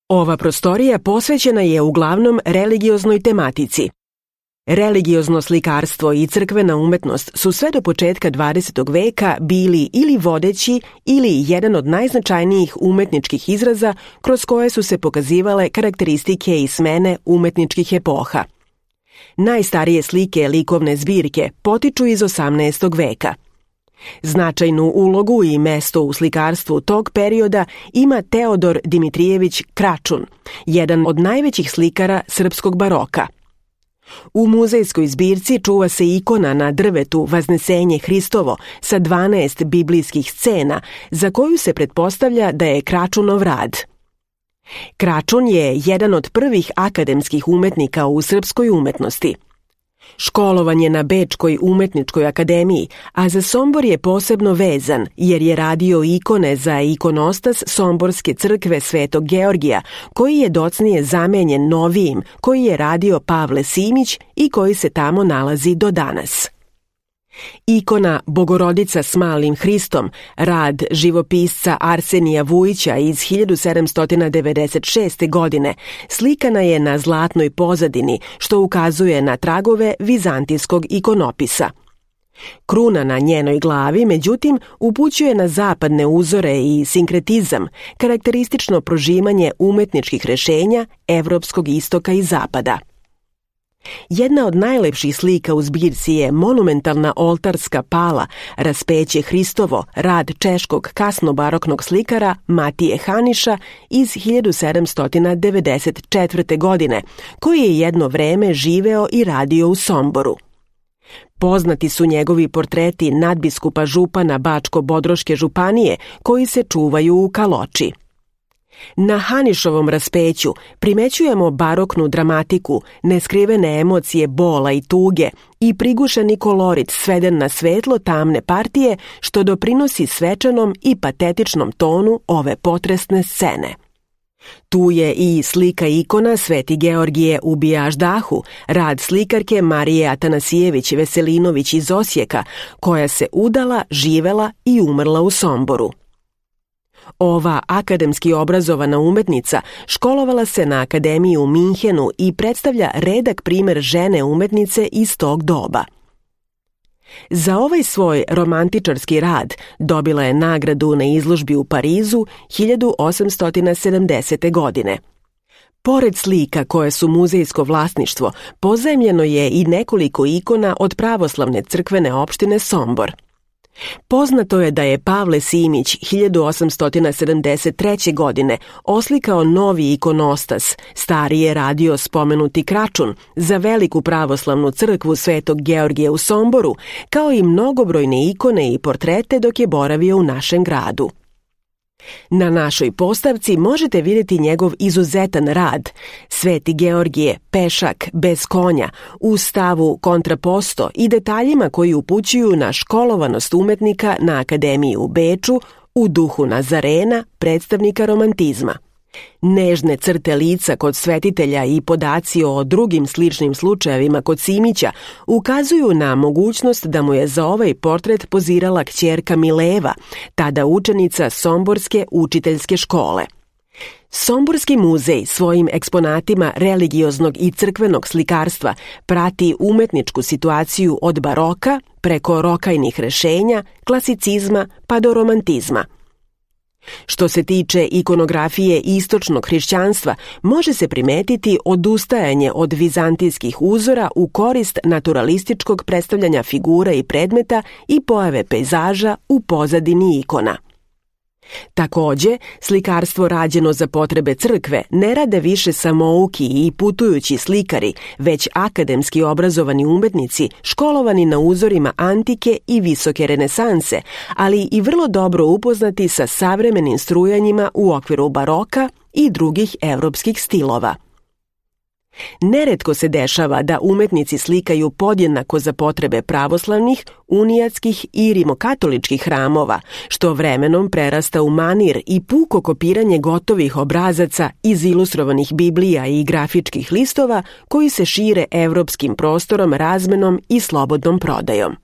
Ova prostorija posvećena je uglavnom religioznoj tematici. Religiozno slikarstvo i crkvena umetnost su sve do početka 20. veka bili ili vodeći ili jedan od najznačajnijih umetničkih izraza kroz koje su se pokazivale karakteristike i smene umetničkih epoha. Najstarije slike likovne zbirke potiču iz 18. veka. Značajnu ulogu i mesto u slikarstvu tog perioda ima Teodor Dimitrijević Kračun, jedan od najvećih slikara srpskog baroka. U muzejskoj zbirci čuva se ikona na drvetu Vaznesenje Hristovo sa 12 biblijskih scena, za koju se pretpostavlja da je Kračunov rad. Kračun je jedan od prvih akademskih umetnika u srpskoj umetnosti. Školovan je na Bečkoj umetničkoj akademiji, a za Sombor je posebno vezan jer je radio ikone za ikonostas Somborske crkve Svetog Georgija, koji je docnije zamenjen novijim koji je radio Pavle Simić i koji se tamo nalazi do danas. Ikona Bogorodica s malim Hristom, rad živopisca Arsenija Vujića iz 1796. godine, slikana je na zlatnoj pozadini, što ukazuje na tragove vizantijskog ikonopisa. Kruna na njenoj glavi, međutim, upućuje na zapadne uzore i sinkretizam, karakteristično prožimanje umetničkih rešenja evropskog istoka i zapada. Jedna od najlepših slika u zbirci je monumentalna oltarska pala Raspeće Hristovo, rad češkog kasnobaroknog slikara Matije Haniša iz 1794. godine, koji je jedno vreme živeo i radio u Somboru. Poznati su njegovi portreti nadbiskupa župana Bačko-Bodroške županije, koji se čuvaju u Kaloči. Na Hanišovom raspeću primećujemo baroknu dramatiku, neskrivene emocije bola i tuge i prigušeni kolorit sveden na svetlo tamne partije, što doprinosi svečanom i patetičnom tonu ove potresne scene. Tu je i slika ikona Sveti Georgije u Bijaždahu, rad slikarke Marije Atanasijević Veselinović iz Osijeka, koja se udala, živela i umrla u Somboru. Ova akademski obrazovana umetnica školovala se na akademiji u Minhenu i predstavlja redak primer žene umetnice iz tog doba. Za ovaj svoj romantičarski rad dobila je nagradu na izložbi u Parizu 1870. godine. Pored slika koje su muzejsko vlasništvo, pozajmljeno je i nekoliko ikona od pravoslavne crkvene opštine Sombor. Poznato je da je Pavle Simić 1873. godine oslikao novi ikonostas, stari je radio spomenuti Kračun, za veliku pravoslavnu crkvu Svetog Georgija u Somboru, kao i mnogobrojne ikone i portrete dok je boravio u našem gradu. Na našoj postavci možete vidjeti njegov izuzetan rad Sveti Georgije, pešak, bez konja, u stavu kontraposto i detaljima koji upućuju na školovanost umetnika na Akademiji u Beču u duhu Nazarena, predstavnika romantizma. Nežne crte lica kod svetitelja i podaci o drugim sličnim slučajevima kod Simića ukazuju na mogućnost da mu je za ovaj portret pozirala kćerka Mileva, tada učenica Somborske učiteljske škole. Somborski muzej svojim eksponatima religioznog i crkvenog slikarstva prati umetničku situaciju od baroka preko rokajnih rešenja, klasicizma pa do romantizma. Što se tiče ikonografije istočnog hrišćanstva, može se primetiti odustajanje od vizantijskih uzora u korist naturalističkog predstavljanja figura i predmeta i pojave pejzaža u pozadini ikona. Takođe, slikarstvo rađeno za potrebe crkve ne rade više samouki i putujući slikari, već akademski obrazovani umetnici školovani na uzorima antike i visoke renesanse, ali i vrlo dobro upoznati sa savremenim strujanjima u okviru baroka i drugih evropskih stilova. Neretko se dešava da umetnici slikaju podjednako za potrebe pravoslavnih, unijatskih i rimokatoličkih hramova, što vremenom prerasta u manir i puko kopiranje gotovih obrazaca iz ilustrovanih biblija i grafičkih listova koji se šire evropskim prostorom razmenom i slobodnom prodajom.